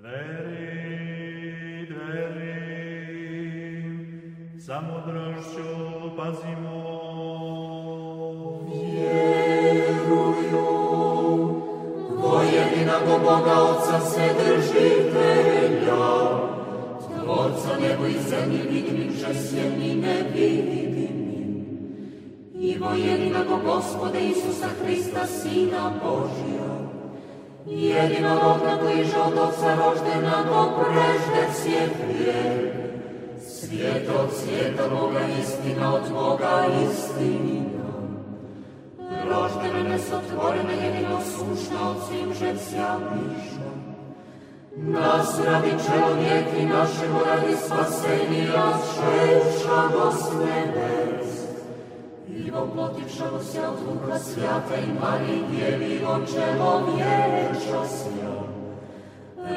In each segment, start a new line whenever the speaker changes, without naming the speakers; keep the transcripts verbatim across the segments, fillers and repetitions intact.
Dveri, dveri, za mudrošću pazimo.
Vjeruju, vojedinog Boga Otca Vседržitelja, Tvorca nebo i zemlji vidimim, žesjem i nevidimim, i vojedinog Gospoda Isusa Hrista, Sina Božja, jedinorodna koji je od Otca roždena do prežde svijet vijek, svijet od svijeta Boga, istina od Boga, istina. Roždena nesotvorena, jedino sušna od svim žecija miša. Nas radi čelovijek i našemu radi spasenija, šećamo s nebes. I voplotivšamo se od Duha Svijata i Mariji Djevi, od čelovječa sja.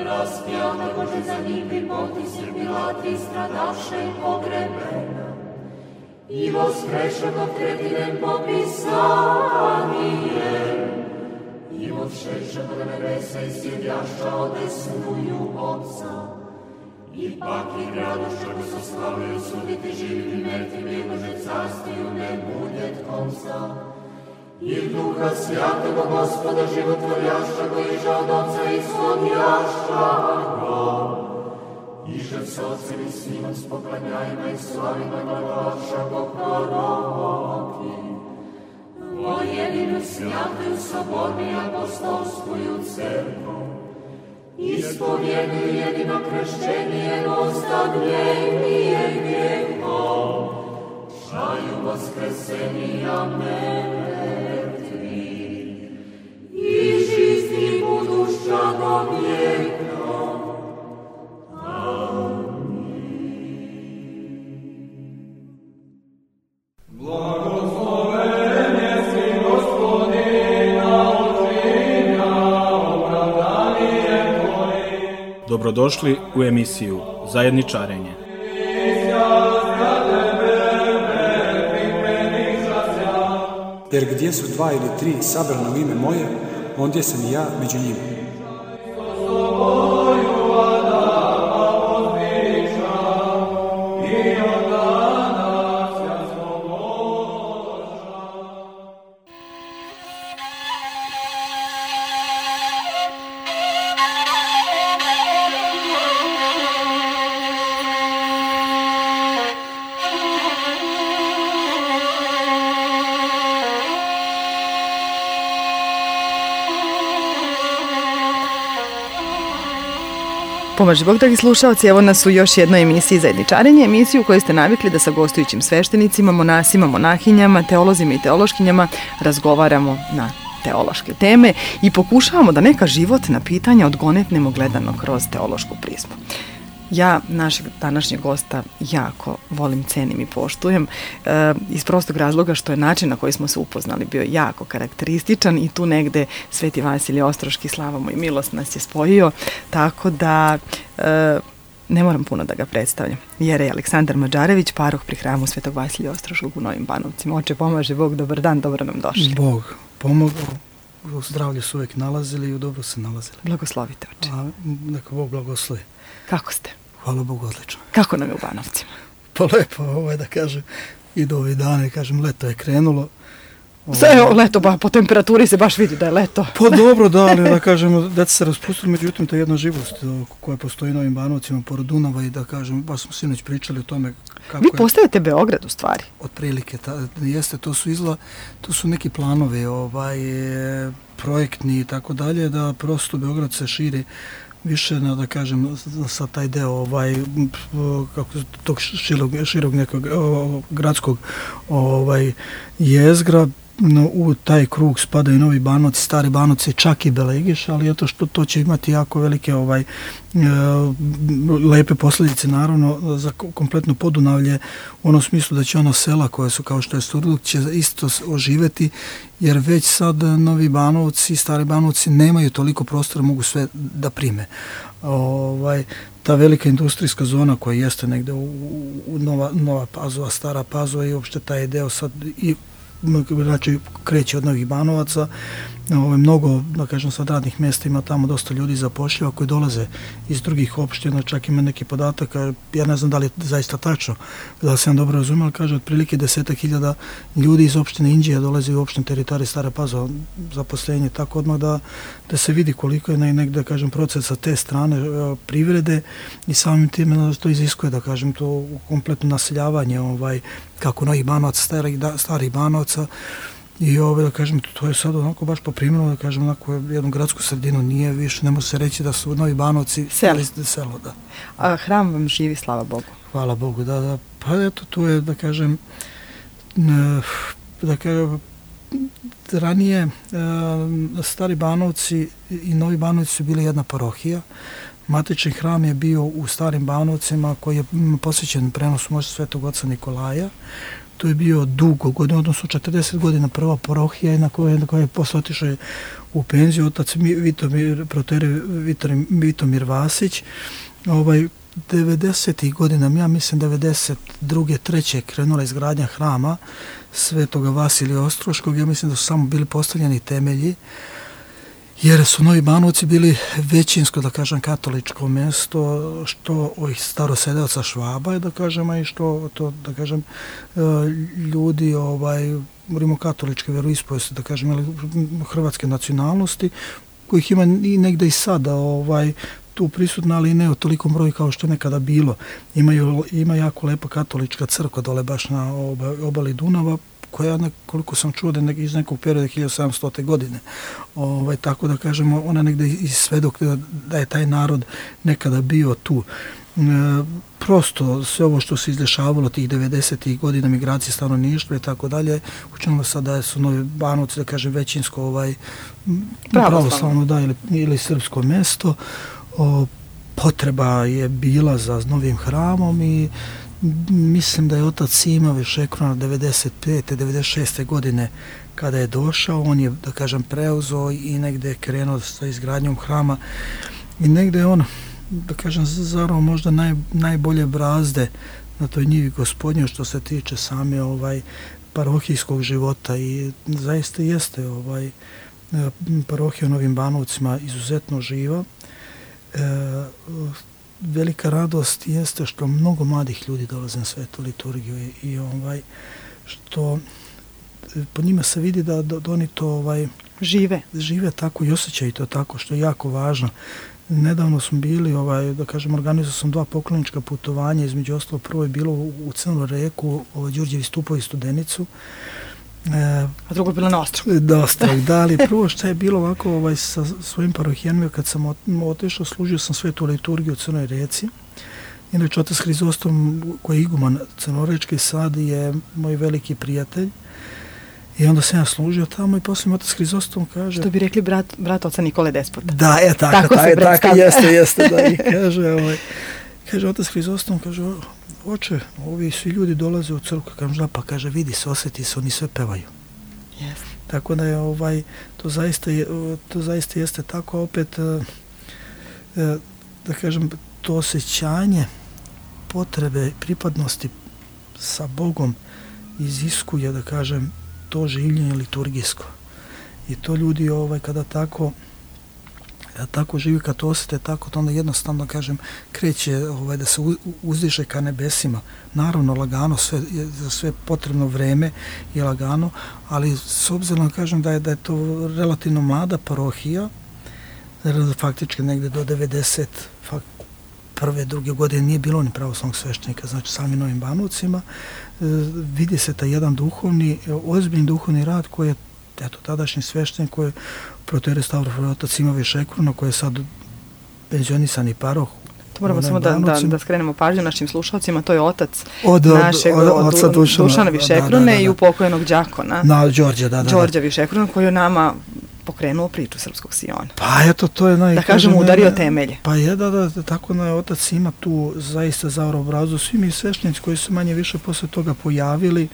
Raspjata Bože za njih bi potisir Pilati, stradaše i pogrebena. I voskrešanog tretinem popisanije. I odšešanog nebesa i sjedjaša odesnuju Otca. Ipak i gradošću bi se slavio suditi živim i mrtvim, jednože carstiju ne budjet konca. I Duha Svjatoga Gospoda životvorjašća go iže od Otca ishodjašća go. Iže s Otcem i Sinom s poklanjajima i slavima glavaša go proroki. O jedinu svjatuju sobornu i apostolskuju crkvu. Ispovjeduju jedino kršćenje, ostavljenije grijehom, čaju vaskrsenija mrtvih, i žizni budušća do vijeka.
Dobrodošli u emisiju Zajedničarenje.
Jer gdje su dva ili tri sabrana u ime moje, ondje sam i ja među njima.
Pomaži Bog, dragi slušalci, evo nas u još jednoj emisiji Zajedničarenje, emisiju u kojoj ste navikli da sa gostujućim sveštenicima, monasima, monahinjama, teolozima i teološkinjama razgovaramo na teološke teme i pokušavamo da neka životna pitanja odgonetnemo gledano kroz teološku prizmu. Ja našeg današnjeg gosta jako volim, cenim i poštujem e, iz prostog razloga što je način na koji smo se upoznali bio jako karakterističan i tu negde Sveti Vasilij Ostroški, slava mu i milost, nas je spojio, tako da e, ne moram puno da ga predstavljam. Jerej Aleksandar Mađarević, paroh pri hramu Svetog Vasilija Ostroškog u Novim Banovcima. Oče, pomaže Bog, dobar dan, dobro nam došli.
Bog pomogao, u zdravlju su uvijek nalazili i u dobro se nalazili.
Blagoslovite, oče.
A neka Bog blagoslovi.
Kako ste?
Hvala Bogu, odlično.
Kako nam je u Banovcima?
Pa lepo, ovaj, da kažem, idu ovi dani, kažem, leto je krenulo.
Sve leto, ba, po temperaturi se baš vidi da je leto.
Pa dobro, da, ali da kažem, deca se raspustili, međutim, to je jedna živost koja postoji u Novim Banovcima, pored Dunava i da kažem, baš smo sinoć pričali o tome kako
Vi
je...
postajete Beograd u stvari?
Otprilike, ta, jeste, to su izla, to su neki planovi, ovaj, projektni i tako dalje, da prosto Beograd se širi više na, da kažem, sa taj deo ovaj, kako, tog širog, širog nekog o, gradskog ovaj, jezgra. No, u taj krug spadaju Novi Banovci, Stari Banovci, čak i Belegiš, ali eto što to će imati jako velike ovaj, e, lepe posljedice naravno za kompletno Podunavlje, u onom smislu da će ona sela koja su kao što je Sturduk će isto oživeti, jer već sad Novi Banovci, Stari Banovci nemaju toliko prostora, mogu sve da prime. Ovaj, ta velika industrijska zona koja jeste negde u, u Nova, Nova Pazova, Stara Pazova i uopšte taj deo sad i znači kreće od Novih Banovaca Ovo, mnogo, da kažem, sad radnih mjesta ima tamo dosta ljudi zapošljiva koji dolaze iz drugih opština, čak ima neki podatak, ja ne znam da li je zaista tačno, da sam dobro razumio, ali kaže otprilike desetak hiljada ljudi iz opštine Inđija dolazi u opštinu teritorije Stara Pazova zaposlenje, tako odmah da, da se vidi koliko je negdje, da kažem, proces sa te strane privrede i samim tim to iziskuje, da kažem, to kompletno naseljavanje, ovaj, kako novih Banovaca, starih, starih Banovaca. I ovo, da kažem, to je sad onako baš poprimljeno, da kažem, onako jednu gradsku sredinu nije više, ne može se reći da su Novi Banovci
selo.
selo, da.
A hram vam živi, slava Bogu.
Hvala Bogu, da, da. Pa eto, tu je, da kažem, da kažem, ranije Stari Banovci i Novi Banovci su bili jedna parohija. Matični hram je bio u Starim Banovcima koji je posvećen prenosu možda Svetog oca Nikolaja. To je bio dugo godina, odnosno četrdeset godina prva parohija na kojoj na koje je posle otišao u penziju otac Vitomir, protere Vitomir, Vitomir Vasić. Ovaj, devedesetih godina, ja mislim devedeset druge treće krenula izgradnja hrama Svetoga Vasilija Ostroškog, ja mislim da su samo bili postavljeni temelji, jer su Novi Banovci bili većinsko, da kažem, katoličko mjesto, što ovih starosedeoca Švaba, da kažem, i što, to, da kažem, ljudi, ovaj, rimokatoličke veroispovesti, da kažem, hrvatske nacionalnosti, kojih ima i negde i sada, ovaj, tu prisutna, ali ne u tolikom broju kao što je nekada bilo. Imaju, ima jako lepa katolička crkva dole baš na obali Dunava, koja, koliko sam čuo, da je iz nekog perioda hiljadu sedamstote godine. Ovaj, tako da kažemo, ona negde i svedok da, da je taj narod nekada bio tu. E, prosto sve ovo što se izdešavalo tih devedesetih godina, migracije stanovništva i tako dalje, učinilo sad da su Novi Banovci, da kažem, većinsko ovaj, pravoslavno, da, ili, ili srpsko mjesto. O, potreba je bila za novim hramom i mislim da je otac Sima Višekrona devedeset pete devedeset šeste godine kada je došao, on je, da kažem, preuzeo i negde je krenuo sa izgradnjom hrama i negde je on, da kažem, zarao možda naj, najbolje brazde na toj njivi Gospodnjoj što se tiče same ovaj parohijskog života i zaista jeste ovaj parohija u Novim Banovcima izuzetno živa. E, velika radost jeste što mnogo mladih ljudi dolaze na svetu liturgiju i, i ovaj što po njima se vidi da, da, da oni to ovaj
žive
žive tako i osjećaju to tako, što je jako važno. Nedavno smo bili, ovaj, da kažem, organizovao sam dva poklonička putovanja, između ostalo prvo je bilo u, u Crnu Reku, ovaj, Đurđevi Stupovi Studenicu.
E, A drugo je bilo na Ostrog.
Da, Ostrog, da, ali prvo što je bilo ovako ovaj, sa svojim parohijanima, kad sam otišao, služio sam svetu liturgiju u Crnoj Reci. Inače, otac Hrizostom, koji je iguman Crnorečki sad, je moj veliki prijatelj. I onda sam ja služio tamo i poslije mi otac Hrizostom kaže...
Što bi rekli brat, brat oca Nikole Despota.
Da, je tako,
tako,
taj,
se
tako jeste, jeste, da, i kaže, ovaj, kaže otac Hrizostom, kaže, oče, ovi svi ljudi dolaze u crkvu, kažem, da, pa kaže, vidi se, osjeti se, oni sve pevaju.
Yes.
Tako da je, ovaj, to zaista, je, to zaista jeste tako, opet, da kažem, to osjećanje potrebe, pripadnosti sa Bogom iziskuje, da kažem, to življenje liturgijsko. I to ljudi ovaj kada tako kada tako živi, kad to osjete tako, to onda jednostavno, kažem, kreće ovaj, da se uzdiže ka nebesima. Naravno, lagano, sve, za sve potrebno vreme je lagano, ali s obzirom, kažem, da je, da je to relativno mlada parohija, faktički negde do devedeset prve, druge godine nije bilo ni pravoslavnog sveštenika, znači sami Novim Banovcima, e, vidi se taj jedan duhovni, ozbiljni duhovni rad koji je, eto, tadašnji sveštenik koji je protere Stavrofor otac Ima Višekrona, koji je sad penzionisani paroh.
To moramo samo da, da, da skrenemo pažnju našim slušalcima, to je otac
od,
našeg
od, od, od Dušana,
Dušana Višekrone da, da, da, da. I upokojenog đakona.
Na, Đorđa, da, da.
Đorđa Višekrona, koji je nama pokrenuo priču Srpskog Siona.
Pa eto, to je naj...
Da kažemo, udario temelje.
Pa je, da, da, tako na otac Ima tu zaista zavrao obrazu. Svi mi sveštenici koji su manje više posle toga pojavili,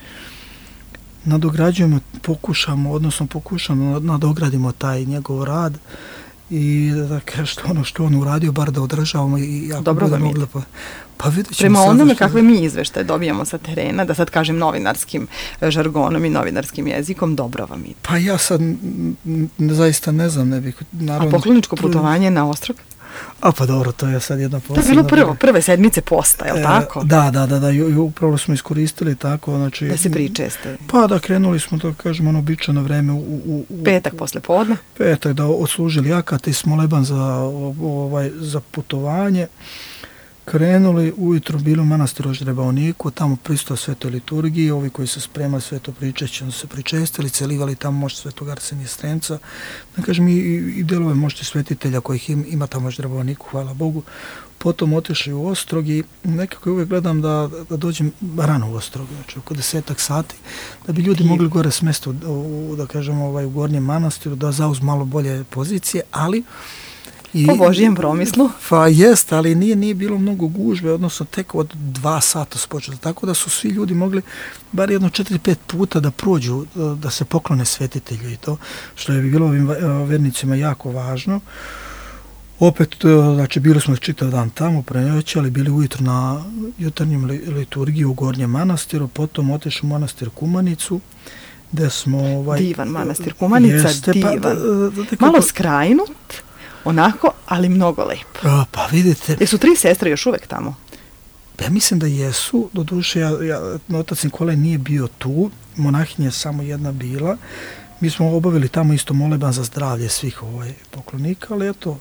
nadograđujemo, pokušamo, odnosno pokušamo, nadogradimo taj njegov rad i da kaže ono što on uradio, bar da održavamo i ako
dobro
bude
vam
mogla, pa, pa vidjet ćemo.
Prema
sad
onome
što...
kakve mi izveštaje dobijamo sa terena, da sad kažem novinarskim žargonom i novinarskim jezikom, dobro vam ide.
Pa ja sad n, zaista ne znam, ne bih... Naravno,
a pokloničko
trud...
putovanje na ostrog?
A pa dobro, to je sad jedna posebna...
To je bilo prvo, prve sedmice posta, je li tako?
E, da, da, da, da, i upravo smo iskoristili tako, znači...
Da se pričeste.
Pa da, krenuli smo, da kažemo, ono običajno vreme u... u, u
petak posle podne?
Petak, da odslužili akat i Smoleban za, ovaj, za putovanje. Krenuli, ujutro bili u manastiru Oždrebaoniku, tamo pristao svetoj liturgiji, ovi koji se spremali sveto pričešće, se pričestili, celivali tamo možda svetog Arsenija Strenca, da kažem i, i delove možda svetitelja kojih im, ima tamo Oždrebaoniku, hvala Bogu. Potom otišli u Ostrog i nekako uvijek gledam da, da dođem rano u Ostrog, znači oko desetak sati, da bi ljudi mogli gore smesti u, u, da kažem, ovaj, u gornjem manastiru, da zauz malo bolje pozicije, ali
I, po Božijem promislu.
Pa jest, ali nije, nije bilo mnogo gužbe, odnosno tek od dva sata spočelo, tako da su svi ljudi mogli bar jedno četiri pet puta da prođu, da se poklone svetitelju i to, što je bilo ovim vernicima jako važno. Opet, znači, bili smo čitav dan tamo, prenoći, ali bili ujutro na jutarnjem liturgiji u Gornjem manastiru, potom otišli u manastir Kumanicu, gde smo... Ovaj,
divan manastir Kumanica,
jeste,
divan.
Pa, da, da, da,
malo to... skrajnut, onako, ali mnogo lepo.
Pa, pa vidite...
Jesu tri sestre još uvek tamo?
Ja mislim da jesu, do duše, ja, ja, otac Nikolaj nije bio tu, monahinja je samo jedna bila. Mi smo obavili tamo isto moleban za zdravlje svih ovaj poklonika, ali eto,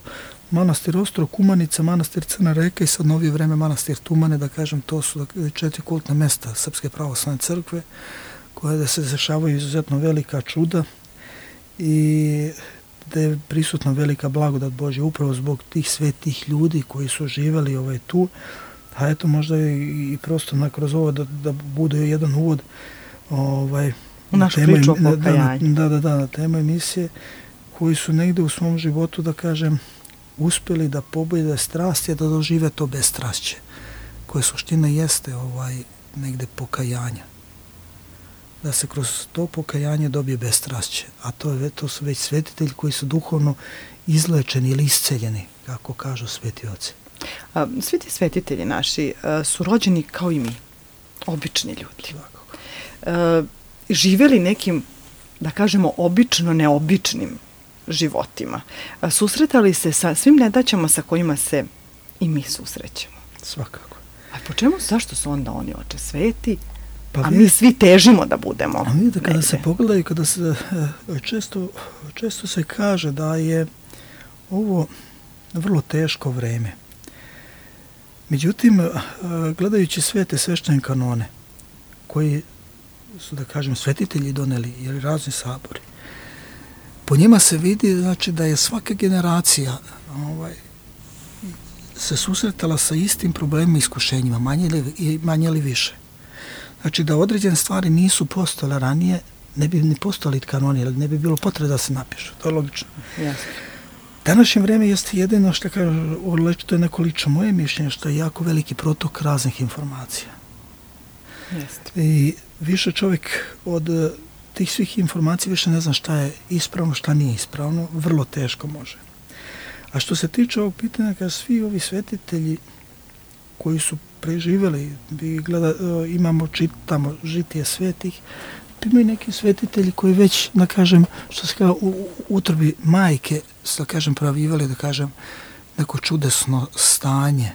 manastir Ostrog, Kumanica, manastir Crna Reka i sad novije vreme manastir Tumane, da kažem, to su četiri kultne mesta Srpske pravoslavne crkve, koje da se dešavaju izuzetno velika čuda i da je prisutna velika blagodat Božja upravo zbog tih svetih ljudi koji su živeli ovaj tu, a eto možda i, i prosto na kroz ovo da, da bude jedan uvod ovaj,
u našu priču o pokajanju.
Da, da, da, na temu emisije, koji su negde u svom životu, da kažem, uspjeli da pobjede strasti, da dožive to bestrašće, koje suština jeste ovaj, negde pokajanja. Da se kroz to pokajanje dobije bestrašće, a to, je, to su već svetitelji koji su duhovno izlečeni ili isceljeni, kako kažu sveti oci.
A, svi ti svetitelji naši a, su rođeni kao i mi, obični ljudi. A, živeli nekim, da kažemo, obično neobičnim životima. A, susretali se sa svim nedaćama sa kojima se i mi susrećemo.
Svakako.
A po čemu, zašto su onda oni oče sveti,
pa
a
vidite,
mi svi težimo da budemo?
A vidite, kada
negde
se pogledaju, kada se, često, često se kaže da je ovo vrlo teško vreme. Međutim, gledajući sve te sveštene kanone, koji su, da kažem, svetitelji doneli, ili razni sabori, po njima se vidi, znači, da je svaka generacija ovaj, se susretala sa istim problemima i iskušenjima, manje ili, manje ili više. Znači, da određene stvari nisu postojale ranije, ne bi ni postojali kanoni, ne bi bilo potrebe da se napišu. To je logično.
Jasno.
Današnje vreme jeste jedino što kaže, to je neko lično moje mišljenje, što je jako veliki protok raznih informacija.
Jeste.
I više čovjek od tih svih informacija više ne zna šta je ispravno, šta nije ispravno, vrlo teško može. A što se tiče ovog pitanja, kada svi ovi svetitelji koji su preživjeli, gleda, imamo, čitamo žitije svetih, imaju neki svetitelji koji već, da kažem, što se kaže, u utrobi majke, da kažem, pravivali, da kažem, neko čudesno stanje.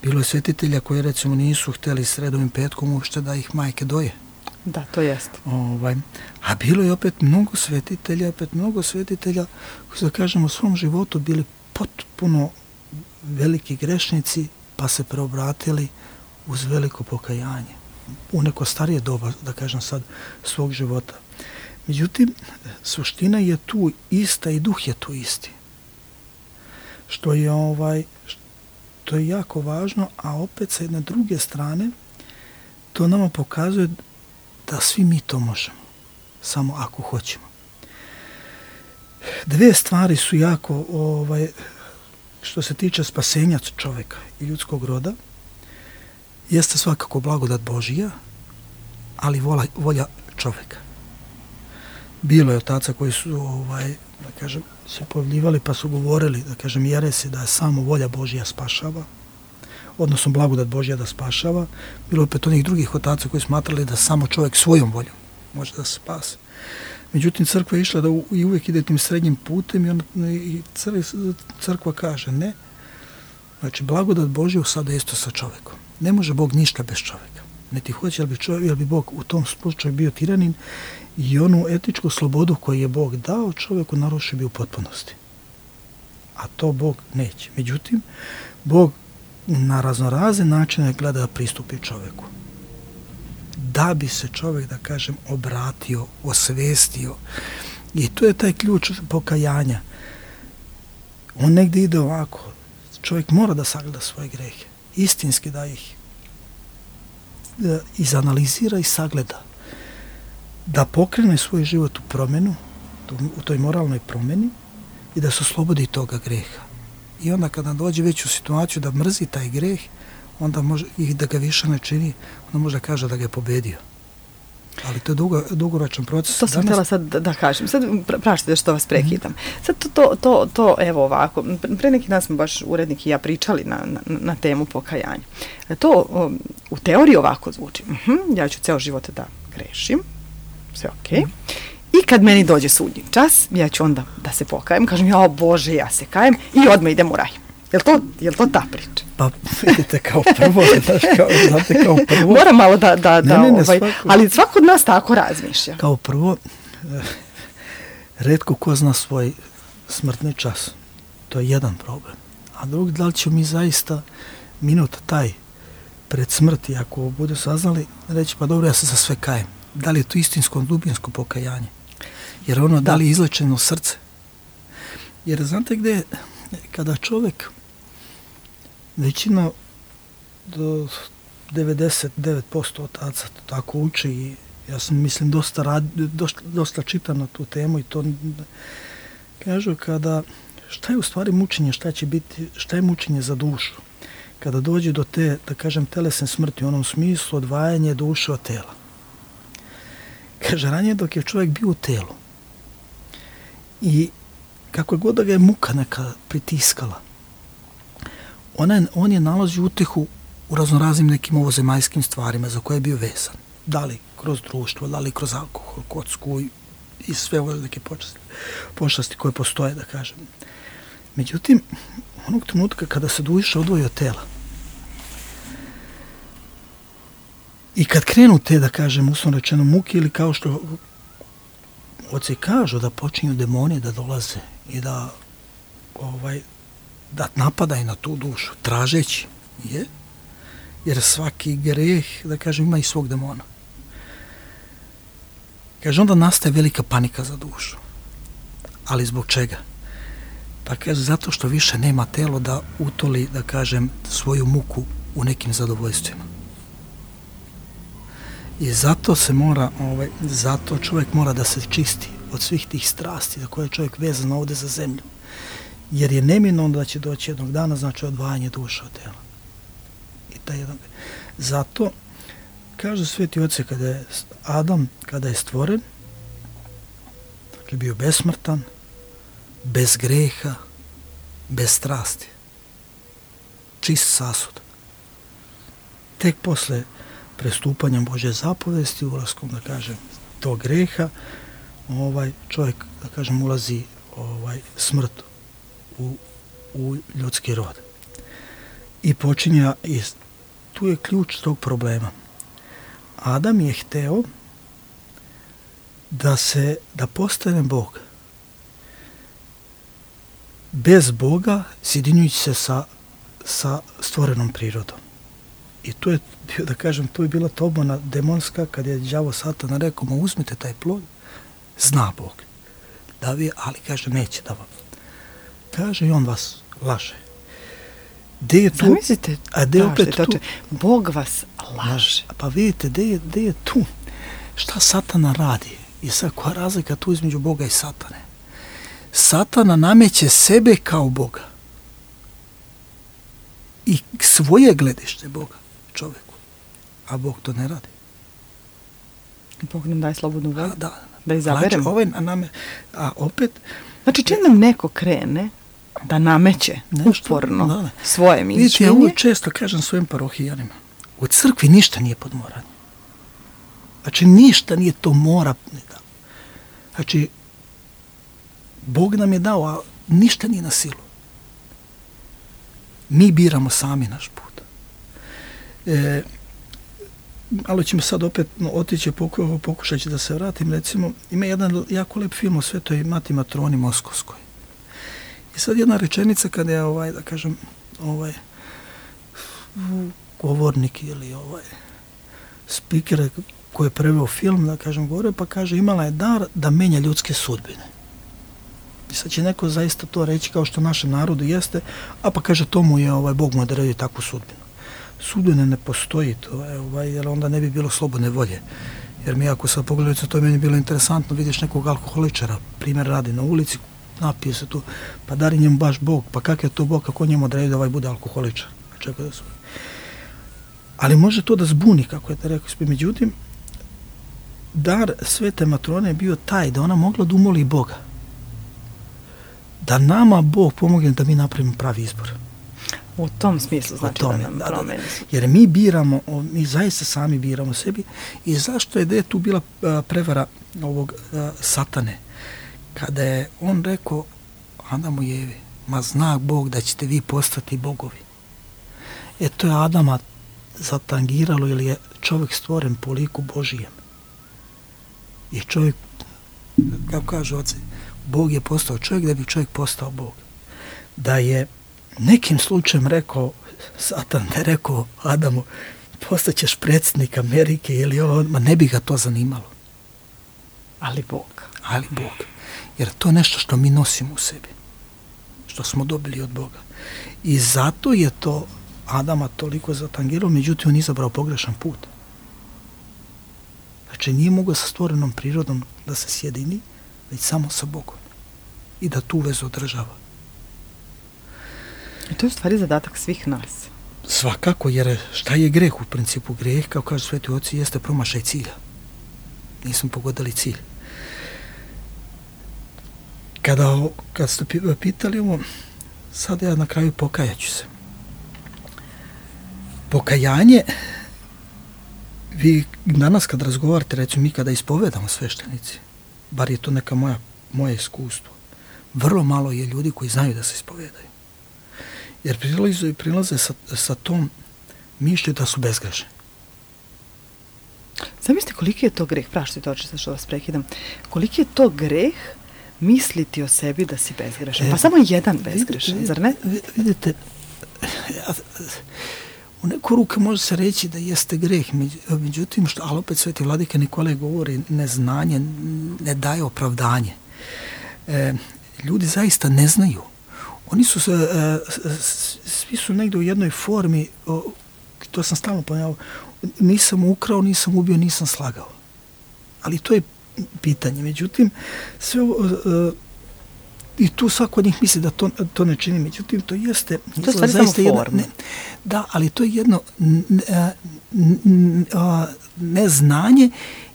Bilo je svetitelja koji, recimo, nisu htjeli sredovim petkom uopšte da ih majke doje.
Da, to jeste.
Ovaj, a bilo je opet mnogo svetitelja, opet mnogo svetitelja koji su, da kažem, u svom životu bili potpuno veliki grešnici, pa se preobratili uz veliko pokajanje. U neko starije doba, da kažem sad, svog života. Međutim, suština je tu ista i duh je tu isti. Što je, ovaj, što je jako važno, a opet sa jedne druge strane, to nama pokazuje da svi mi to možemo, samo ako hoćemo. Dve stvari su jako, ovaj, što se tiče spasenja čovjeka i ljudskog roda, jeste svakako blagodat Božija, ali vola, volja čovjeka. Bilo je otaca koji su, ovaj, da kažem, se pojavljivali pa su govorili, da kažem, jeresi da je samo volja Božja spašava, odnosno blagodat Božja da spašava. Bilo opet onih drugih otaca koji smatrali da samo čovjek svojom voljom može da se spase. Međutim, crkva je išla da u, i uvijek ide tim srednjim putem i, on, i crkva kaže ne. Znači, blagodat Božja sada je isto sa čovjekom. Ne može Bog ništa bez čovjeka. Ne ti hoće, jel bi, čovjek, jel bi Bog u tom slučaju bio tiranin i onu etičku slobodu koju je Bog dao čovjeku narušio bi u potpunosti. A to Bog neće. Međutim, Bog na raznorazne načine gleda da pristupi čovjeku. Da bi se čovjek, da kažem, obratio, osvestio. I to je taj ključ pokajanja. On negdje ide ovako. Čovjek mora da sagleda svoje grehe. Istinski da ih da izanalizira i sagleda. Da pokrene svoj život u promjenu, u toj moralnoj promjeni i da se oslobodi toga greha. I onda kada dođe već u situaciju da mrzi taj greh, onda može, i da ga više ne čini, onda može da kaže da ga je pobedio. Ali to je dugo, dugoročan proces.
To sam htjela sad da, da kažem. Sad praštite što vas prekidam. Sad to, to, to, to, evo ovako, pre neki dan smo baš urednik i ja pričali na, na, na temu pokajanja. To um, u teoriji ovako zvuči. Uh-huh, ja ću ceo život da grešim, sve okej. Okay. I kad meni dođe sudnji čas, ja ću onda da se pokajem, kažem, ja, o Bože, ja se kajem i odmah idem u raj. Jel to, jel to ta priča?
Pa vidite, kao prvo, znaš, kao, znate, kao prvo...
Moram malo da, da, da
ne, ne, ne,
ovaj,
svako,
ali svako od nas tako razmišlja.
Kao prvo, eh, retko ko zna svoj smrtni čas. To je jedan problem. A drugi, da li ćemo mi zaista minut taj pred smrti, ako budu saznali, reći, pa dobro, ja se za sve kajem. Da li je to istinsko, dubinsko pokajanje? Jer ono, da, da li je izlečeno srce? Jer znate gdje, kada čovjek, većina do devedeset devet posto otaca tako uči i ja sam, mislim, dosta, rad, dosta, dosta čitam na tu temu i to kažu kada, šta je u stvari mučenje, šta će biti, šta je mučenje za dušu? Kada dođe do te, da kažem, telesne smrti, u onom smislu odvajanje duše od tela. Kaže, ranije dok je čovjek bio u telu i kako god da ga je muka neka pritiskala, ona je, on je nalazi utehu u raznoraznim nekim ovozemaljskim stvarima za koje je bio vezan. Da li kroz društvo, da li kroz alkohol, kocku i, i sve ove neke počasti, počasti koje postoje, da kažem. Međutim, onog trenutka kada se duša odvoji od tela i kad krenu te, da kažem, uslovno rečeno muke ili kao što oci kažu da počinju demoni da dolaze i da ovaj da napadaju na tu dušu, tražeći je, jer svaki greh, da kažem, ima i svog demona. Kaže, onda nastaje velika panika za dušu. Ali zbog čega? Pa kaže, zato što više nema telo da utoli, da kažem, svoju muku u nekim zadovoljstvima. I zato se mora, ovaj, zato čovjek mora da se čisti od svih tih strasti za koje je čovjek vezan ovdje za zemlju. Jer je neminovno da će doći jednog dana, znači odvajanje duše od tela. I taj jedan. Zato, kaže Sveti Oci, kada je Adam, kada je stvoren, dakle bio besmrtan, bez greha, bez strasti. Čist sasud. Tek posle prestupanja Božje zapovesti, ulaskom, da kažem, tog greha, ovaj čovjek, da kažem, ulazi ovaj smrt u, u ljudski rod. I počinja, i tu je ključ tog problema. Adam je hteo da se, da postane Bog. Bez Boga, sjedinjujući se sa, sa stvorenom prirodom. I tu je, da kažem, tu je bila tobona demonska kad je đavo Satana rekao, ma uzmite taj plod, zna Bog. Da vi, ali kaže, neće da vam. Kaže i on vas laže. De je tu?
Zamislite,
a de opet tu?
Bog vas laže.
Pa vidite, de je, de je tu? Šta Satana radi? I sad, koja razlika tu između Boga i Satane? Satana nameće sebe kao Boga. I svoje gledište Boga čovjeku. A Bog to ne radi.
Bog nam daje slobodnu volju.
Da,
da izaberemo.
Znači, ovaj nam, a opet,
Znači, čim nam neko krene da nameće uporno
da, da.
svoje mišljenje...
Vidite, ja ovo često kažem svojim parohijanima. U crkvi ništa nije pod moranje. Znači, ništa nije to mora. Znači, Bog nam je dao, a ništa nije na silu. Mi biramo sami naš put. E, ali ćemo sad opet no, otići, poku, pokušat ću da se vratim. Recimo, ima jedan jako lep film o Svetoj Mati Matroni Moskovskoj. I sad jedna rečenica kada je, ovaj, da kažem, ovaj, govornik ili ovaj, speaker koji je preveo film, da kažem, govore, pa kaže, imala je dar da menja ljudske sudbine. I sad će neko zaista to reći kao što našem narodu jeste, a pa kaže, to mu je, ovaj, Bog mu odredio takvu sudbinu. Sudbine ne postoji to, ovaj, jer onda ne bi bilo slobodne volje. Jer mi ako sad pogledajte, to je meni bilo interesantno, vidiš nekog alkoholičara, primjer radi na ulici, napije se tu, pa dari njemu baš Bog, pa kak je to Bog, kako njemu odredio da ovaj bude alkoholičar. Čekaj da su... Ali može to da zbuni, kako je te rekao. Međutim, dar Svete Matrone je bio taj da ona mogla da umoli Boga. Da nama Bog pomogne da mi napravimo pravi izbor.
U tom smislu znači
tome,
da nam
da,
promeni.
Jer mi biramo, mi zaista sami biramo sebi. I zašto je da je tu bila prevara ovog Satane? Kada je on rekao Adamu i Evi, ma zna Bog da ćete vi postati bogovi. E to je Adama zatangiralo, jer je čovjek stvoren po liku Božijem. I čovjek, kako kažu oci, Bog je postao čovjek da bi čovjek postao Bog. Da je nekim slučajem rekao, Satan ne rekao Adamu, postaćeš predsjednik Amerike ili ovo, ma ne bi ga to zanimalo.
Ali Bog.
Ali Bog. Jer to je nešto što mi nosimo u sebi. Što smo dobili od Boga. I zato je to Adama toliko zatangirao, međutim on izabrao pogrešan put. Znači nije mogao sa stvorenom prirodom da se sjedini, već samo sa Bogom. I da tu vezu održava.
I to je u stvari zadatak svih nas.
Svakako, jer šta je greh u principu? Greh, kao kažu sveti oci, jeste promašaj cilja. Nismo pogodili cilj. Kada, kad ste pitali ovo, sad ja na kraju pokajaću se. Pokajanje, vi danas kad razgovarate, recimo mi kada ispovedamo sveštenici, bar je to neka moja, moje iskustvo, vrlo malo je ljudi koji znaju da se ispovedaju. Jer prilaze i prilaze sa, sa tom mišlju da su bezgrešni.
Zamislite koliki je to greh, praštite oči što vas prekidam, koliki je to greh misliti o sebi da si bezgrešan. E, pa samo jedan bezgrešan, vidite, zar ne?
Vidite, ja, u neku ruku može se reći da jeste greh, međutim, što, ali opet Sveti Vladika Nikolaj govori, neznanje ne daje opravdanje. E, ljudi zaista ne znaju. Oni su, e, svi su negdje u jednoj formi, o, to sam stalno ponavljao, nisam ukrao, nisam ubio, nisam slagao. Ali to je pitanje. Međutim, sve ovo, e, i tu svako od njih misli da to, to ne čini. Međutim, to jeste...
To je stvari samo forma.
Ne, da, ali to je jedno ne, ne, neznanje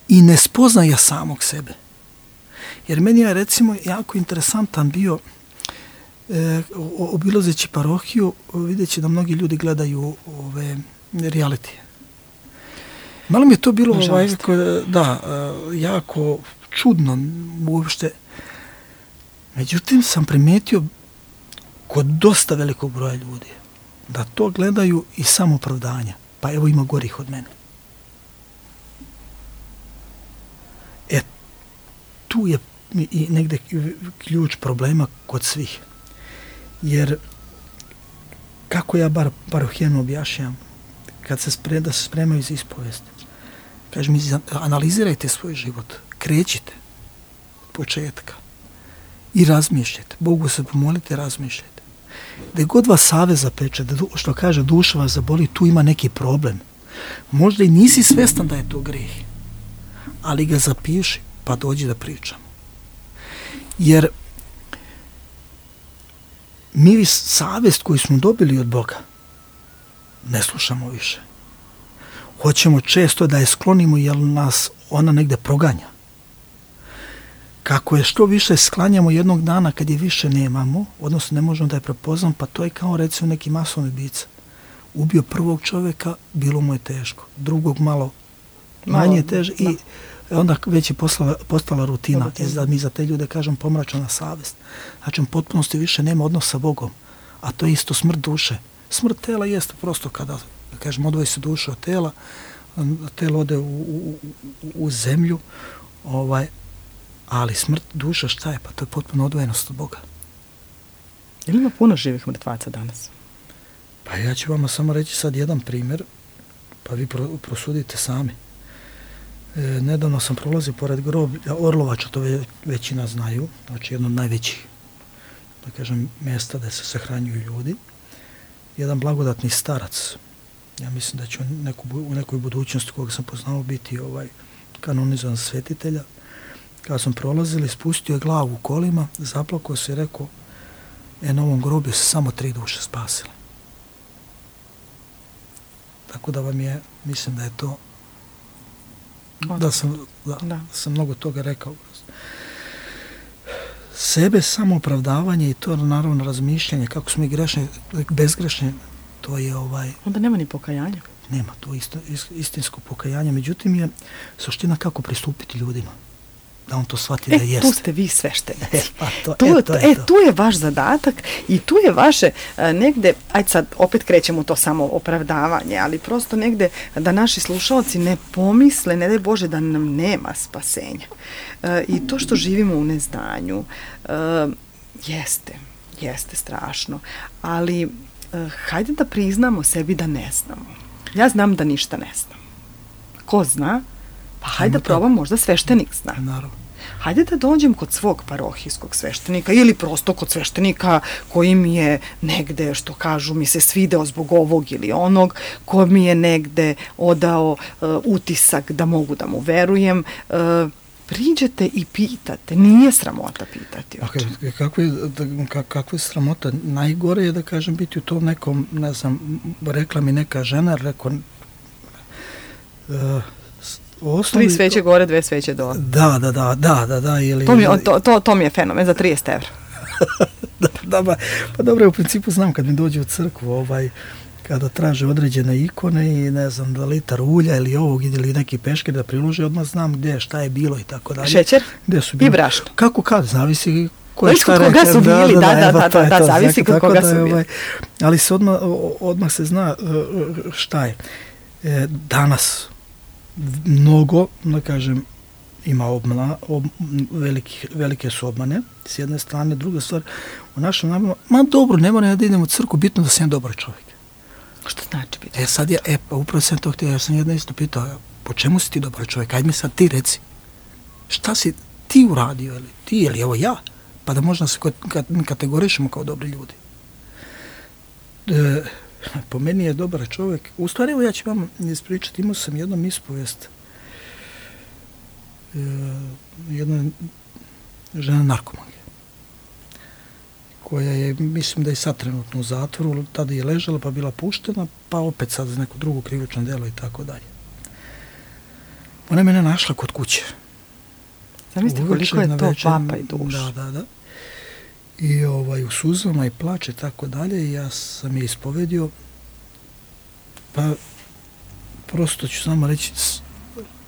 i nespoznaja samog sebe. Jer meni je, recimo, jako interesantan bio e, obilazeći parohiju, vidjeći da mnogi ljudi gledaju ove realitije. Malo mi je to bilo ovaj, da, jako čudno uopšte. Međutim, sam primetio kod dosta velikog broja ljudi da to gledaju i samoopravdanja. Pa evo ima gorih od mene. E, tu je i negde ključ problema kod svih. Jer kako ja bar parohijanu objašnjam, kad se spre, da se spremaju za ispovest, kažem mi, analizirajte svoj život, krećite od početka i razmišljajte. Bogu se pomolite, razmišljajte. Da god vas savez zapeče, da što kaže duša vas zaboli, tu ima neki problem. Možda i nisi svestan da je to greh, ali ga zapiši, pa dođi da pričamo. Jer mi savest koju smo dobili od Boga ne slušamo više. Hoćemo često da je sklonimo jer nas ona negde proganja. kako je što više sklanjamo jednog dana kad je više nemamo, odnosno ne možemo da je prepoznamo, pa to je kao recimo neki masovni ubica. Ubio prvog čovjeka, bilo mu je teško. Drugog malo manje teže i onda već je postala, postala rutina. I mi za te ljude kažem pomračena savjest. Znači, u potpunosti više nema odnosa sa Bogom. A to je isto smrt duše. Smrt tela jeste prosto kada, da kažem, odvoji se duša od tela, telo ode u, u, u zemlju, ovaj, ali smrt duša šta je? Pa to je potpuno odvojenost od Boga.
Ili ima puno živih mrtvaca danas?
Pa ja ću vama samo reći sad jedan primjer, pa vi pro, prosudite sami. E, nedavno sam prolazio pored groblja Orlovača, to ve, većina znaju, znači jedno od najvećih, da kažem, mjesta gdje se sahranjuju ljudi. Jedan blagodatni starac, ja mislim da će u, neku, u nekoj budućnosti koga sam poznao biti ovaj kanonizovan svetitelja. Kada sam prolazili, spustio je glavu u kolima, zaplakao se i rekao, e, na ovom groblju se samo tri duše spasile. Tako da vam je, mislim da je to, da sam, da, da. sam mnogo toga rekao. Sebe samoopravdavanje i to naravno razmišljanje, kako smo i grešni, bezgrešni, to je ovaj...
Onda nema ni pokajanja.
Nema, to isto, istinsko pokajanje. Međutim je suština kako pristupiti ljudima. Da on to shvati
e,
da jeste.
Tu ste vi sveštenici.
E, pa to,
tu,
e, to je
e,
to.
tu je vaš zadatak i tu je vaše a, negde, ajde sad opet krećemo to samo opravdavanje, ali prosto negde da naši slušalci ne pomisle, ne daj Bože, da nam nema spasenja. E, I to što živimo u neznanju e, jeste, jeste strašno, ali e, hajde da priznamo sebi da ne znamo. Ja znam da ništa ne znam. Ko zna? Pa hajde da probam, možda sveštenik zna.
Naravno.
Hajde da dođem kod svog parohijskog sveštenika ili prosto kod sveštenika koji mi je negde, što kažu, mi se svideo zbog ovog ili onog, ko mi je negde odao uh, utisak da mogu da mu verujem. Uh, priđete i pitate, nije sramota pitati.
Okay, kako, je, da, kako je sramota? Najgore je da kažem biti u tom nekom, ne znam, rekla mi neka žena, rekao... Uh, Osnovi,
tri sveće gore, dve sveće dole.
Da, da, da, da, da, da. Ili,
to, mi, to, to, to mi je fenomen za trideset evra.
da, da, ba, pa dobro, u principu znam kad mi dođe u crkvu, ovaj, kada traže određene ikone i ne znam, da litar ulja ili ovog ili neki peškir da prilože, odmah znam gdje, šta je bilo i tako dalje.
Šećer
gdje su bili,
i brašno.
Kako kad, zavisi ko je
šta rekao. Su bili, da, da, da, da, da, da, da zavisi kod koga su bili. Ovaj,
ali se odmah, odmah se zna šta je. E, danas mnogo, da kažem, ima obmana, ob, veliki, velike su obmane, s jedne strane, druga stvar, u našem nabavama, ma dobro, ne moram da idem u crku, bitno da sam dobar čovjek.
Što znači biti?
E sad ja, e, pa upravo sam to htio, ja sam jedno isto pitao, po čemu si ti dobar čovjek? Ajde mi sad ti reci, šta si ti uradio, ili ti, ili evo ja, pa da možda se kategorišemo kao dobri ljudi. E, po meni je dobar čovjek. U stvari, evo ja ću vam ispričati, imao sam jednom ispovijest e, jedna žena narkomanke koja je, mislim da je sad trenutno u zatvoru, tada je ležala pa bila puštena, pa opet sad za neko drugo krivično djelo i tako dalje. Ona je mene našla kod kuće.
Zamislite koliko je to papa i duš.
Da, da, da. I ovaj, u suzama i plače tako dalje, ja sam je ispovedio, pa prosto ću samo reći,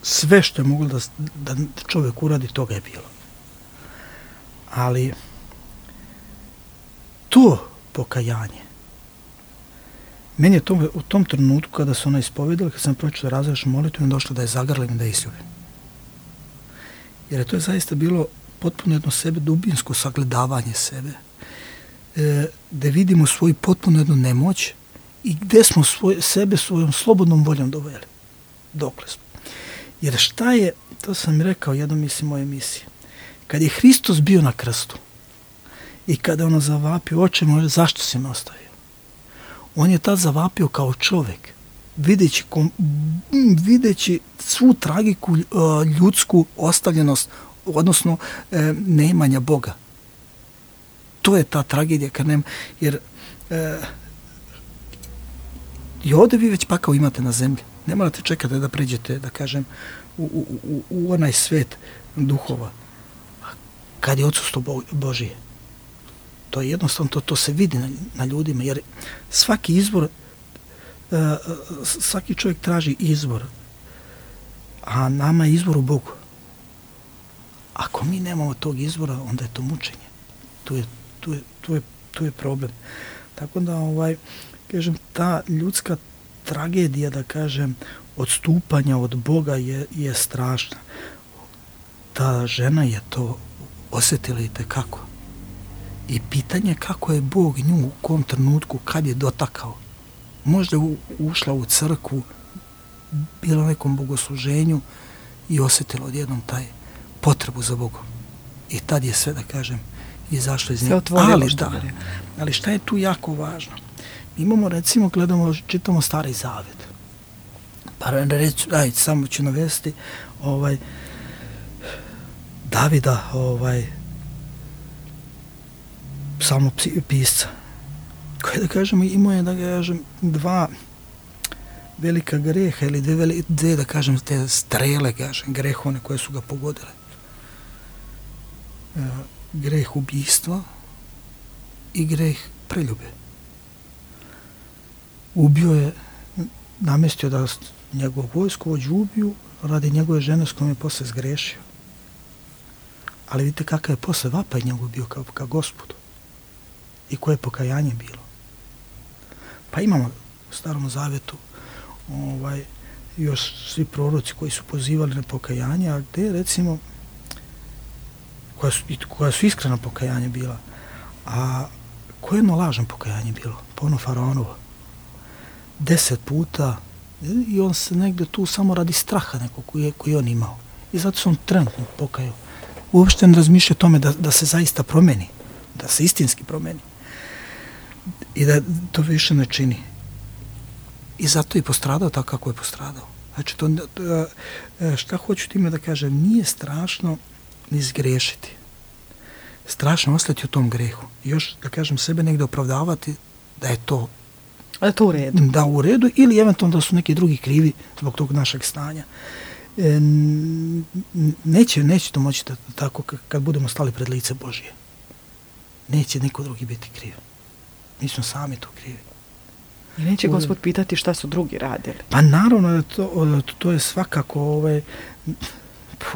sve što je moglo da, da čovjek uradi, toga je bilo. Ali to pokajanje, meni je to, u tom trenutku kada se ona ispovedala, kad sam pročitao razrešnu molitvu, mi došlo da je zagrlim, da je isljubim. Jer je to je zaista bilo potpuno jedno sebe, dubinsko sagledavanje sebe, e, da vidimo svoju potpuno jednu nemoć i gdje smo svoj, sebe svojom slobodnom voljom doveli. Dokle smo. Jer šta je, to sam rekao jednom mislim moje emisije, kad je Hristos bio na krstu i kada ono zavapio, oče moje, zašto si me ostavio? On je tad zavapio kao čovjek, videći, kom, videći svu tragiku ljudsku ostavljenost, odnosno e, neimanja Boga. To je ta tragedija, kad nema, jer e, i ovdje vi već pakao imate na zemlji. Ne morate čekati da pređete, da kažem, u, u, u, u onaj svet duhova. kad je odsustvo Bo- Božije. To je jednostavno, to, to se vidi na, na ljudima, jer svaki izbor, uh, svaki čovjek traži izbor, a nama je izbor u Bogu. Ako mi nemamo tog izbora, onda je to mučenje. Tu je, tu je, tu je, tu je problem. Tako da, ovaj, kažem, ta ljudska tragedija, da kažem, odstupanja od Boga je, je strašna. Ta žena je to osjetila i tekako. I pitanje kako je Bog nju u kom trenutku, kad je dotakao. Možda je ušla u crkvu, bila na nekom bogosluženju i osjetila odjednom taj potrebu za Bogom. I tad je sve, da kažem, izašlo iz nje. Ali, da, ali šta je tu jako važno? Mi imamo, recimo, gledamo, čitamo Stari Zavet. Pa reći, aj, samo ću navesti, ovaj, Davida, ovaj, samo pisca, koji, da kažemo, imao je, da kažem, dva velika greha ili dve, veli, dve, da kažem, te strele, kažem, grehone koje su ga pogodile. E, greh ubijstva i greh preljube. Ubio je, namestio da njegov vojskovođu ubiju radi njegove žene s kojom je posle zgrešio. Ali vidite kakav je posle vapaj njegov bio kao, kao Gospodu i koje je pokajanje bilo. Pa imamo u Starom Zavetu ovaj, još svi proroci koji su pozivali na pokajanje, a gde recimo koja su, koja su iskrena pokajanje bila, a koje jedno lažno pokajanje bilo, po ono Faraonovo. Deset puta i on se negde tu samo radi straha nekog koji je, koji on imao. I zato se on trenutno pokajao. Uopšte ne razmišlja o tome da, da se zaista promeni, da se istinski promeni. I da to više ne čini. I zato je postradao tako kako je postradao. Znači, to, šta hoću time da kažem, nije strašno ni zgrešiti. Strašno ostati u tom grehu. I još, da kažem, sebe negde opravdavati da je to
da je to u redu.
Da, u redu, ili eventualno da su neki drugi krivi zbog tog našeg stanja. E, neće, neće to moći da, tako kad budemo stali pred lice Božije. Neće niko drugi biti kriv. Mi smo sami to krivi.
I neće Gospod pitati šta su drugi radili.
Pa naravno, to, to je svakako, ovaj,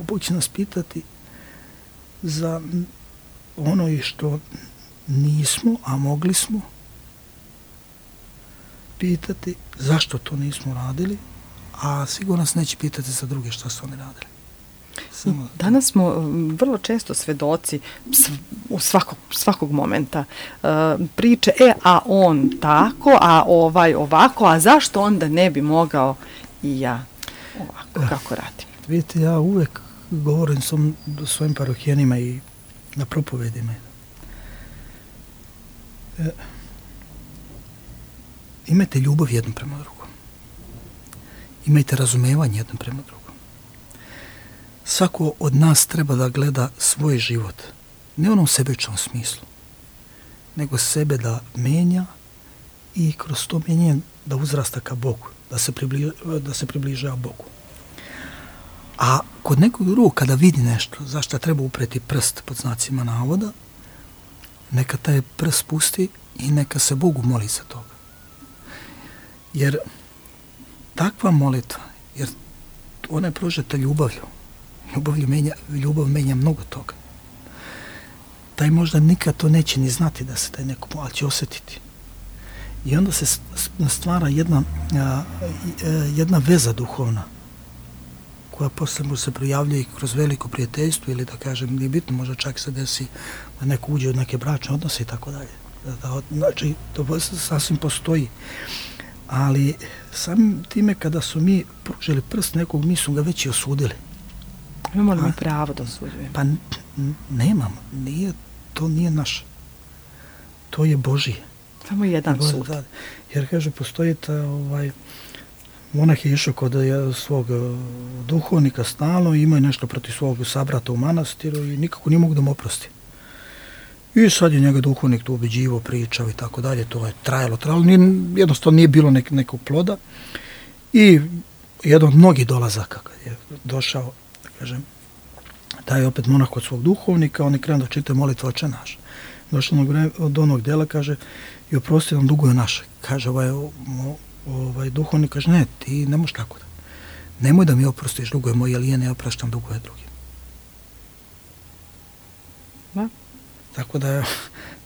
Bog će nas pitati za ono i što nismo, a mogli smo pitati zašto to nismo radili, a sigurno nas neće pitati za druge šta su oni radili. Samo
danas smo vrlo često svedoci u svakog, svakog momenta uh, priče, e, a on tako, a ovaj ovako, a zašto onda ne bi mogao i ja ovako, kako radim?
Vidite, ja uvek govorim sam svojim parohijanima i na propovedima. E, imajte ljubav jednom prema drugom. Imajte razumevanje jednom prema drugom. Svako od nas treba da gleda svoj život, ne u onom sebičnom smislu, nego sebe da menja i kroz to menjanje da uzrasta ka Bogu, da se, približa, da se približava Bogu. A kod nekog drugog, kada vidi nešto, zašto treba upreti prst pod znacima navoda, neka taj prst pusti i neka se Bogu moli za toga. Jer takva molitva, jer ona je prožeta ljubavlju, Ljubav menja, ljubav menja mnogo toga. Taj možda nikad to neće ni znati da se taj neko, ali će osjetiti. I onda se stvara jedna, a, jedna veza duhovna koja posle mu se projavljuje i kroz veliko prijateljstvo ili da kažem, nije bitno, možda čak se desi da neko uđe u neke bračne odnose i tako dalje. Znači, to sasvim postoji. Ali samim time kada su mi pružili prst nekog, mi su ga već i osudili.
Imamo li mi pravo da osuđujemo?
Pa nemam, nije, to nije naše. To je Božije.
Samo jedan
Bože,
sud.
Da, jer kaže, postoji ta, ovaj, monah je išao kod svog duhovnika stalno i imao je nešto protiv svog sabrata u manastiru i nikako nije mogu da mu oprosti. I sad je njega duhovnik tu ubeđivo, pričao i tako dalje, to je trajalo, trajalo, nije, jednostavno nije bilo nek, nekog ploda. I jedan od mnogih dolazaka kad je došao, kažem, taj opet monah kod svog duhovnika, oni krenu da čitaju molitvu Oče naš. Došlo od onog dela, kaže, i oprosti nam duguje naše. Kaže ovaj, ovaj duhovnik, kaže, ne, ti ne možeš tako da. Nemoj da mi oprostiš duguje moje, jer ja ne opraštam duguje drugim.
Da.
Tako da,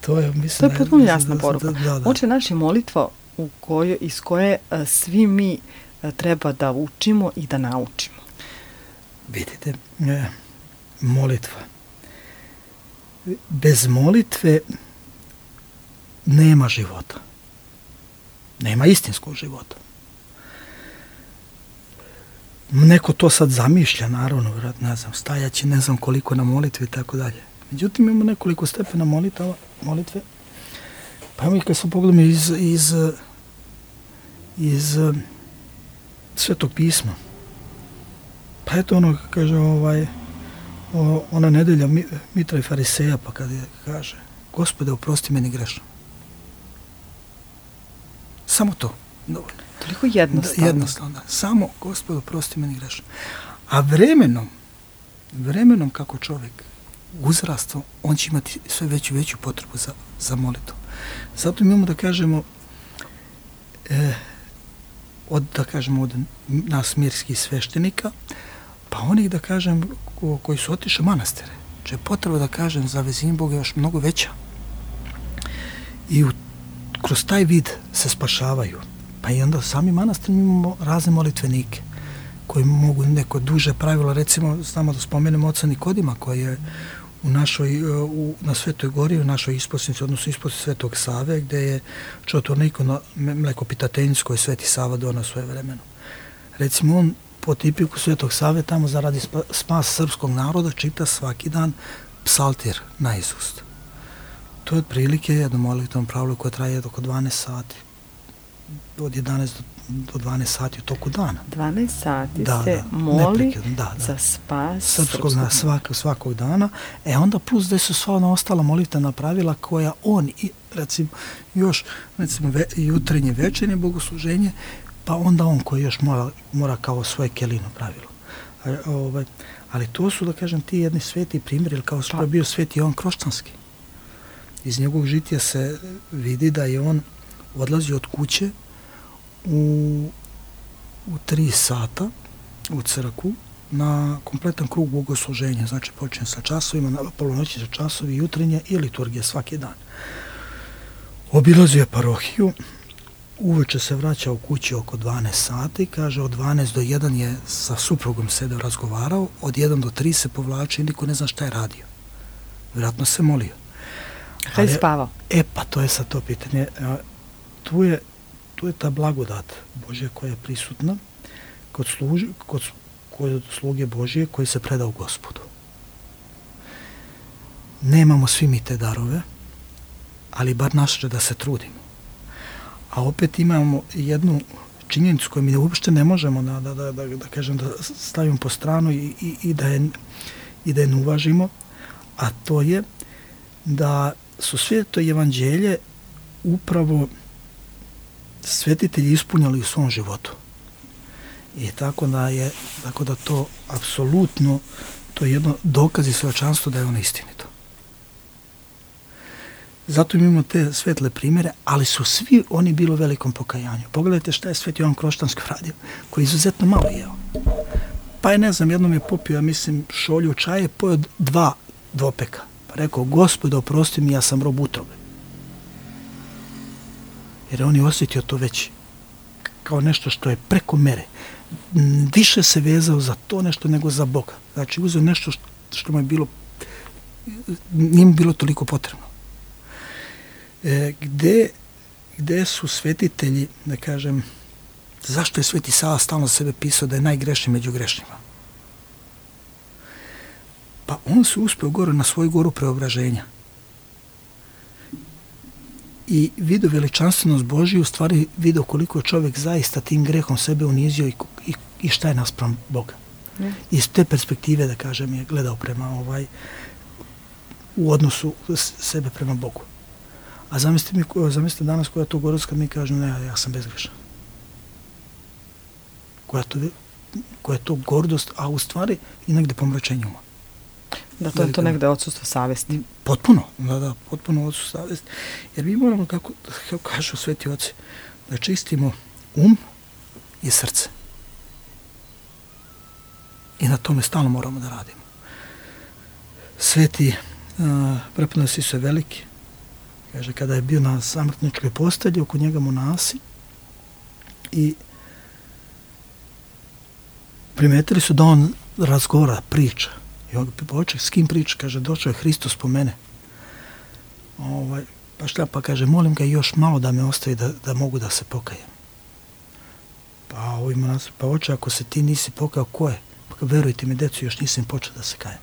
to je, mislim...
To je potpuno jasna
da,
poruka.
Da, da, da.
Oče naš je molitva u kojoj, iz koje a, svi mi a, treba da učimo i da naučimo.
Vidite, e, molitva. Bez molitve nema života. Nema istinskog života. Neko to sad zamišlja, naravno, vjerojatno, ne znam, stajaći, ne znam koliko na molitvi i tako dalje. Međutim, imamo nekoliko stepena molitava, molitve. Pa mi kad smo pogledali iz, iz, iz Svetog pisma, pa eto ono, kaže, ovaj, o, ona nedelja Mitra i Fariseja, pa kad je, kaže, Gospode, oprosti meni grešno. Samo to, dovoljno.
Toliko jednostavno.
Da, jednostavno, da. Samo, Gospode, oprosti meni grešno. A vremenom, vremenom kako čovjek uzrasta, on će imati sve veću veću potrebu za, za molitvu. Zato imamo da kažemo, e, od, da kažemo, od nas mirskih sveštenika, pa onih, da kažem, ko, koji su otišli u manastire. Če je potreba, da kažem, za vezivanje Boga još mnogo veća. I u, kroz taj vid se spašavaju. Pa i onda sami manastir imamo razne molitvenike koji mogu neko duže pravilo, recimo, znamo da spomenemo oca Nikodima koji je u našoj, u, na Svetoj gori, u našoj isposnici, odnosno isposnici Svetog Save, gde je čotvornik na mlekopitateljnicu koji Sveti Sava donao svoje vremeno. Recimo, on po tipiku Svetog Save tamo zaradi spas srpskog naroda čita svaki dan psaltir na izust. To je otprilike jedno molitvom pravilo koje traje oko dvanaest sati. Od jedanaest do dvanaest sati u toku dana.
dvanaest sati
da,
se
da,
moli
da, da.
za spas
srpskog,
srpskog
na svakog, svakog dana. E onda plus da su sva ona ostala molitvena pravila koja on, i, recimo, još recimo, ve, jutrenje, večernje bogosluženje, pa onda on koji još mora, mora kao svoje kelino pravilo. A, ovaj, ali to su, da kažem, ti jedni sveti primjeri, kao što je bio Sveti Jovan Kroštanski. Iz njegovog žitija se vidi da je on odlazio od kuće u, u tri sata u crkvu na kompletan krug bogosluženja. Znači počinje sa časovima, na polonoći sa časovi, jutrenje i liturgije svaki dan. Obilazio je parohiju, uveče se vraća u kući oko dvanaest sati, kaže od dvanaest do jedan je sa suprugom sedeo razgovarao, od jedan do tri se povlači i niko ne zna šta je radio. Vjerojatno se molio.
Kada je spavao?
E pa to je sad to pitanje. Tu je, tu je ta blagodat Božja koja je prisutna kod, služi, kod, kod sluge Božje koji se preda u Gospodu. Nemamo svi mi te darove, ali bar naše da se trudimo. A opet imamo jednu činjenicu koju mi uopšte ne možemo da, da, da, da, da kažem da stavimo po stranu i, i, i, da je, i da je ne uvažimo, a to je da su sve to evanđelje upravo svetitelji ispunjali u svom životu. I tako da je, tako da to apsolutno, to je jedno dokaz i svedočanstvo da je ono istinito. Zato imamo te svetle primjere, ali su svi oni bili u velikom pokajanju. Pogledajte šta je Sveti Jovan Kroštanski radio, koji je izuzetno malo jeo. Pa je, ne znam, jednom je popio, ja mislim, šolju čaje, pojeo dva dvopeka. Pa rekao, Gospode, oprosti mi, ja sam rob utrobe. Jer on je osjetio to već kao nešto što je preko mere. Više se vezao za to nešto nego za Boga. Znači, uzeo nešto što mu je bilo, nije mu bilo toliko potrebno. E, gde, gde su svetitelji, da kažem, zašto je Sveti Sava stalno sebe pisao da je najgrešniji među grešnjima? Pa on se uspeo gore na svoju goru preobraženja. I vidio veličanstvenost Božiju, u stvari vidio koliko je čovjek zaista tim grehom sebe unizio i, i, i šta je naspram Boga. Mm. Iz te perspektive, da kažem, je gledao prema ovaj, u odnosu sebe prema Bogu. A zamislite, mi, zamislite danas koja je to gorac kad mi kažemo, ne, ja sam bezgrešan. Koja je to, koja je to gordost, a u stvari i negde pomračenje uma.
Da to je to negde odsustvo savesti.
Potpuno, da, da, potpuno odsustvo savesti. Jer mi moramo, kako, kako kažu sveti oci, da čistimo um i srce. I na tome stalno moramo da radimo. Sveti uh, prepodobni Isus je veliki. Kaže, kada je bio na samrtničkoj postelji, oko njega monasi i primetili su da on razgovara, priča. I on počeo, s kim priča? Kaže, došao je Hristos po mene. Ovaj, pa šta, pa kaže, molim ga još malo da me ostavi da, da mogu da se pokajem. Pa ovi monasi, pa oče, ako se ti nisi pokajao, ko je? Pa verujte mi, decu, još nisam počeo da se kajem.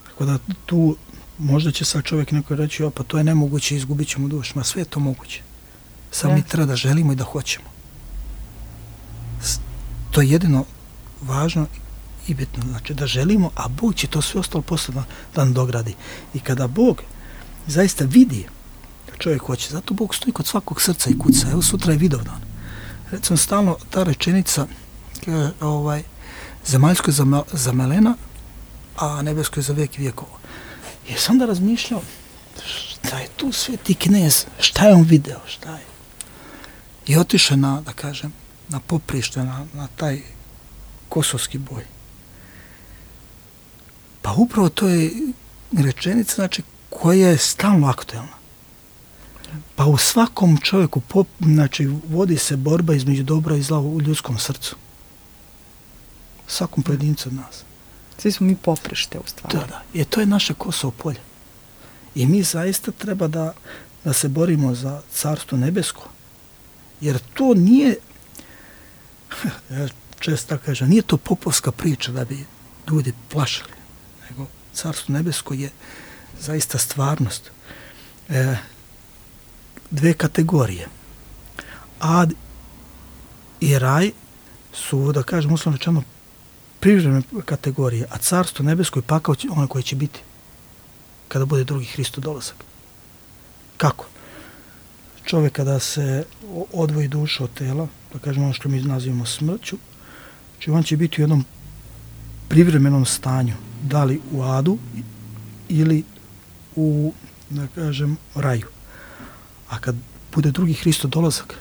Tako da tu možda će sad čovjek neko reći, o, pa to je nemoguće, izgubit ćemo dušu. Ma sve je to moguće. Samo mi treba da želimo i da hoćemo. To je jedino važno i bitno. Znači da želimo, a Bog će to sve ostalo posle da, da nam dogradi. I kada Bog zaista vidi da čovjek hoće, zato Bog stoji kod svakog srca i kuca. Evo sutra je Vidovdan. Recimo stalno ta rečenica ovaj, zemaljsko je zamelena, a nebesko je za vijek vijekova. I sam da razmišljao, šta je tu sveti knez, šta je on video, šta je. I otišao na, da kažem, na poprište, na, na taj kosovski boj. Pa upravo to je rečenica, znači, koja je stalno aktuelna. Pa u svakom čovjeku, pop, znači, vodi se borba između dobra i zla u ljudskom srcu. Svakom pojedincu od nas.
Svi smo mi poprište u stvari.
Da, da. I to je naše Kosovo polje. I mi zaista treba da, da se borimo za carstvo nebesko. Jer to nije, ja često kažem, nije to popovska priča da bi ljudi plašili. Nego carstvo nebesko je zaista stvarnost. E, dve kategorije. Ad i raj su, da kažem, uslovno rečeno, privremene kategorije, a carstvo nebesko je pakao ono koje će biti kada bude drugi Hristov dolazak. Kako? Čovjek kada se odvoji duša od tela, da kažemo ono što mi nazivamo smrću, znači on će biti u jednom privremenom stanju, da li u adu ili u, da kažem, raju. A kad bude drugi Hristov dolazak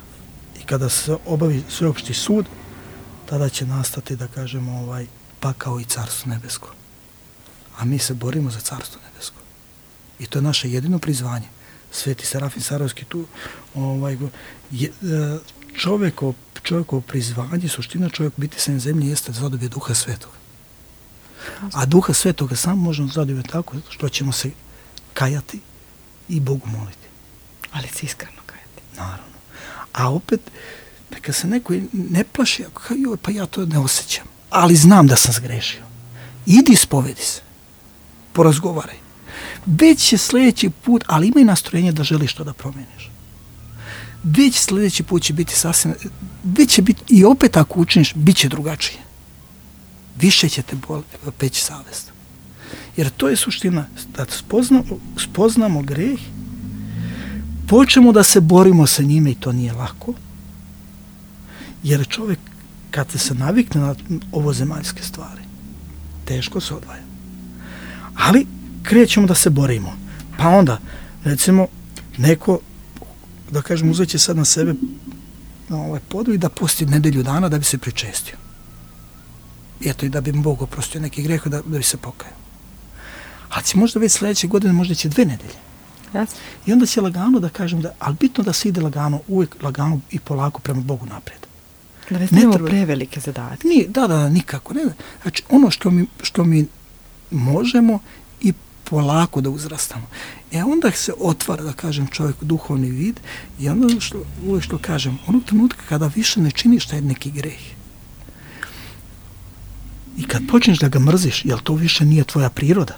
i kada se obavi sveopšti sud, tada će nastati, da kažemo, ovaj, pakao i carstvo nebesko. A mi se borimo za carstvo nebesko. I to je naše jedino prizvanje. Sveti Serafim Sarovski tu, ovaj, je, čovjeko, čovjekovo prizvanje, suština čovjek biti sa zemlji jeste da zadobije Duha Svetoga. A Duha Svetoga samo možemo zadobiti tako što ćemo se kajati i Bogu moliti.
Ali se iskreno kajati.
Naravno. A opet, neka se neko ne plaši, joj, pa ja to ne osjećam, ali znam da sam zgrešio. Idi ispovedi se, porazgovaraj. Već će sljedeći put, ali imaj nastrojenje da želiš to da promeniš. Već sljedeći put će biti sasvim, već će biti, i opet ako učiniš, bit će drugačije. Više će te peći savest. Jer to je suština, da spoznamo, spoznamo greh, počnemo da se borimo sa njime i to nije lako, jer čovjek kad se navikne na ovozemaljske stvari, teško se odvaja. Ali krećemo da se borimo. Pa onda, recimo, neko, da kažem, uzeće sad na sebe ovaj podvig da posti nedelju dana da bi se pričestio. Eto, i da bi mu Bog oprostio neki greh, da, da bi se pokajao. Ali će možda već sljedeće godine, možda će dve nedelje.
Yes.
I onda će lagano da kažem, da, ali bitno da se ide lagano, uvijek lagano i polako prema Bogu naprijed.
Da ne stavimo prevelike zadatke.
Nije, da, da, nikako. Ne. Znači, ono što mi, što mi možemo i polako da uzrastamo. E onda se otvara, da kažem, čovjek duhovni vid i onda što, uvijek što kažem, onog trenutka kada više ne činiš taj neki greh i kad počneš da ga mrziš, jel to više nije tvoja priroda?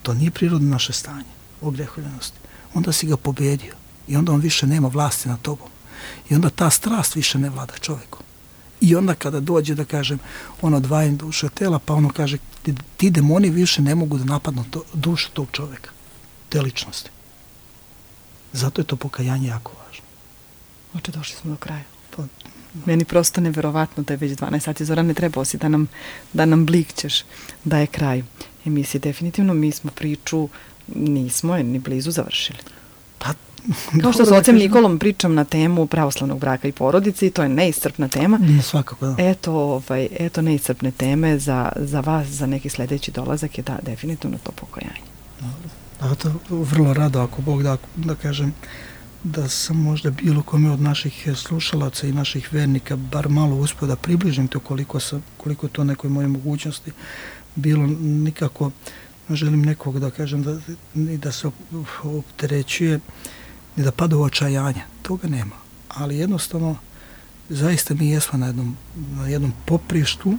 To nije prirodno naše stanje, ogrehovljenosti. Onda si ga pobedio i onda on više nema vlasti nad tobom. I onda ta strast više ne vlada čovjekom. I onda kada dođe, da kažem, ono odvajanje duše od tela, pa ono kaže, ti, ti demoni više ne mogu da napadnu to, dušu tog čovjeka, te ličnosti. Zato je to pokajanje jako važno.
Oče, došli smo do kraja.
Pa,
Meni prosto neverovatno da je već dvanaest sati. Zoran, ne trebao si da nam, da nam blikćeš da je kraj emisije. Definitivno mi smo priču, nismo je ni blizu završili.
Pa,
kao što s ocem Nikolom pričam na temu pravoslavnog braka i porodice i to je neiscrpna tema.
Nije svakako, da.
Eto, ovaj, eto neiscrpne teme za, za vas, za neki sledeći dolazak je da, definitivno to pokajanje.
Dobro. Da, to vrlo rado, ako Bog da, da kažem, da sam možda bilo kome od naših slušalaca i naših vernika bar malo uspio da približim to koliko, sam, koliko to nekoj moje mogućnosti bilo. Nikako ne želim nekog da kažem da, ni da se opterećuje ni da pada u očajanje, toga nema, ali jednostavno zaista mi jesmo na jednom, na jednom poprištu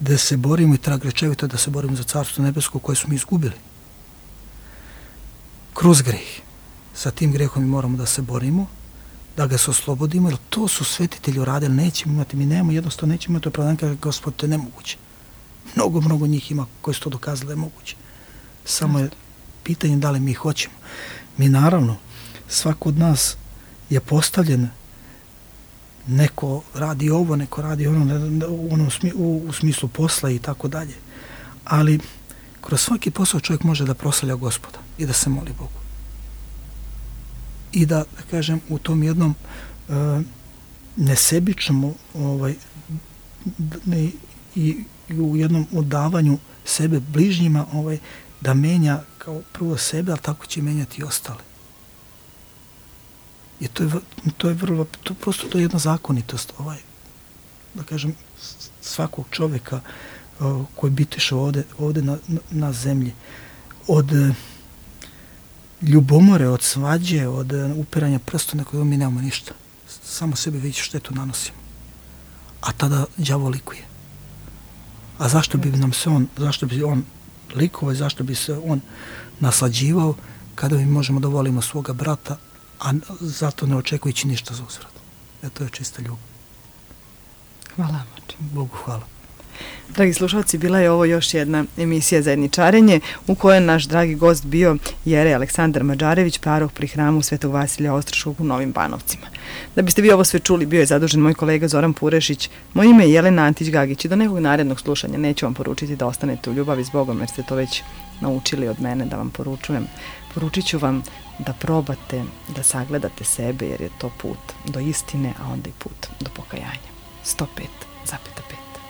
da se borimo i trag rečevito da se borimo za Carstvo nebesko koje smo izgubili kroz greh. Sa tim grehom mi moramo da se borimo, da ga se oslobodimo, jer to su svetitelji uradili, nećemo imati, mi nemamo, jednostavno nećemo imati opravdanje kada Gospod, to je nemoguće. Mnogo, mnogo njih ima koji su to dokazali da je moguće. Samo je pitanje da li mi hoćemo. Mi naravno, svako od nas je postavljen, neko radi ovo, neko radi ono, u, onom smi, u, u smislu posla i tako dalje. Ali kroz svaki posao čovjek može da proslavlja Gospoda i da se moli Bogu. I da, da kažem, u tom jednom uh, nesebičnom ovaj, ne, i, i u jednom odavanju sebe bližnjima ovaj, da menja kao prvo sebe, ali tako će menjati i ostale. I to je, to je vrlo, to prosto to je jedna zakonitost, ovaj, da kažem, svakog čovjeka uh, koji bitiše ovde, ovde na, na, na zemlji. Od uh, ljubomore, od svađe, od uh, upiranja prsta, nekog mi nemamo ništa. Samo sebi već štetu nanosimo. A tada đavo likuje. A zašto bi nam se on, zašto bi on likovao, zašto bi se on naslađivao kada mi možemo da volimo svoga brata, a zato ne očekujući ništa za uzvrat. E, to je čista ljubav.
Hvala vam.
Bogu hvala.
Dragi slušalci, bila je ovo još jedna emisija Zajedničarenje u kojoj je naš dragi gost bio jerej Aleksandar Mađarević, paroh pri hramu Svetog Vasilija Ostroškog u Novim Banovcima. Da biste vi ovo sve čuli, bio je zadužen moj kolega Zoran Purešić. Moje ime je Jelena Antić-Gagić i do nekog narednog slušanja neću vam poručiti da ostanete u ljubavi s Bogom, jer ste to već naučili od mene da vam poručujem. Poručit ću vam da probate da sagledate sebe, jer je to put do istine, a onda i put do pokajanja. sto pet zarez pet.